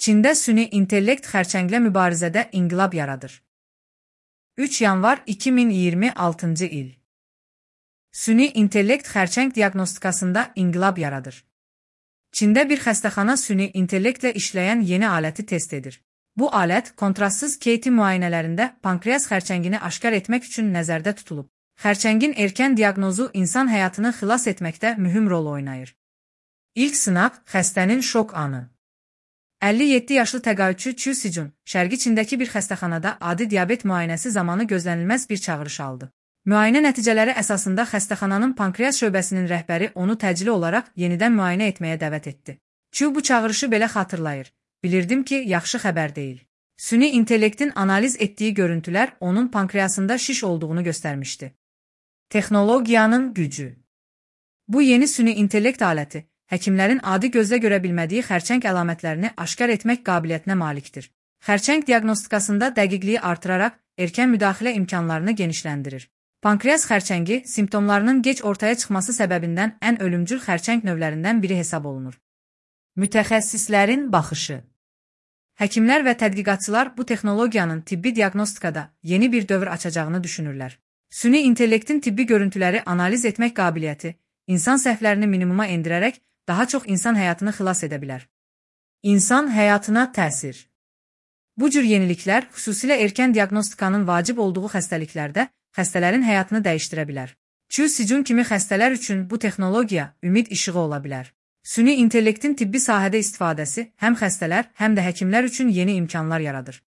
Çində süni intellekt xərçənglə mübarizədə inqilab yaradır. 3 yanvar 2026 il. Süni intellekt xərçəng diaqnostikasında inqilab yaradır. Çində bir xəstəxana süni intellektlə işləyən yeni aləti test edir. Bu alət kontrastsız KT müayinələrində pankreas xərçəngini aşkar etmək üçün nəzərdə tutulub. Xərçəngin erkən diaqnozu insan həyatını xilas etməkdə mühüm rol oynayır. İlk sınaq xəstənin şok anı. 57 yaşlı təqaüdçü Chu Sijun, Şərqi Çindəki bir xəstəxanada adi diabet müayinəsi zamanı gözlənilməz bir çağırış aldı. Müayinə nəticələri əsasında xəstəxananın pankreas şöbəsinin rəhbəri onu təcili olaraq yenidən müayinə etməyə dəvət etdi. Chu bu çağırışı belə xatırlayır. Bilirdim ki, yaxşı xəbər deyil. Süni intellektin analiz etdiyi görüntülər onun pankreasında şiş olduğunu göstərmişdi. Texnologiyanın gücü. Bu yeni süni intellekt aləti, həkimlərin adi gözlə görə bilmədiyi xərçəng əlamətlərini aşkar etmək qabiliyyətinə malikdir. Xərçəng diaqnostikasında dəqiqliyi artıraraq erkən müdaxilə imkanlarını genişləndirir. Pankreas xərçəngi simptomlarının gec ortaya çıxması səbəbindən ən ölümcül xərçəng növlərindən biri hesab olunur. Mütəxəssislərin baxışı. Həkimlər və tədqiqatçılar bu texnologiyanın tibbi diaqnostikada yeni bir dövr açacağını düşünürlər. Süni intellektin tibbi görüntüləri analiz etmək qabiliyyəti, insan səhvlərini minimuma endirərək daha çox insan həyatını xilas edə bilər. İnsan həyatına təsir. Bu cür yeniliklər xüsusilə erkən diaqnostikanın vacib olduğu xəstəliklərdə xəstələrin həyatını dəyişdirə bilər. Chu Sijun kimi xəstələr üçün bu texnologiya ümid işığı ola bilər. Süni intellektin tibbi sahədə istifadəsi həm xəstələr, həm də həkimlər üçün yeni imkanlar yaradır.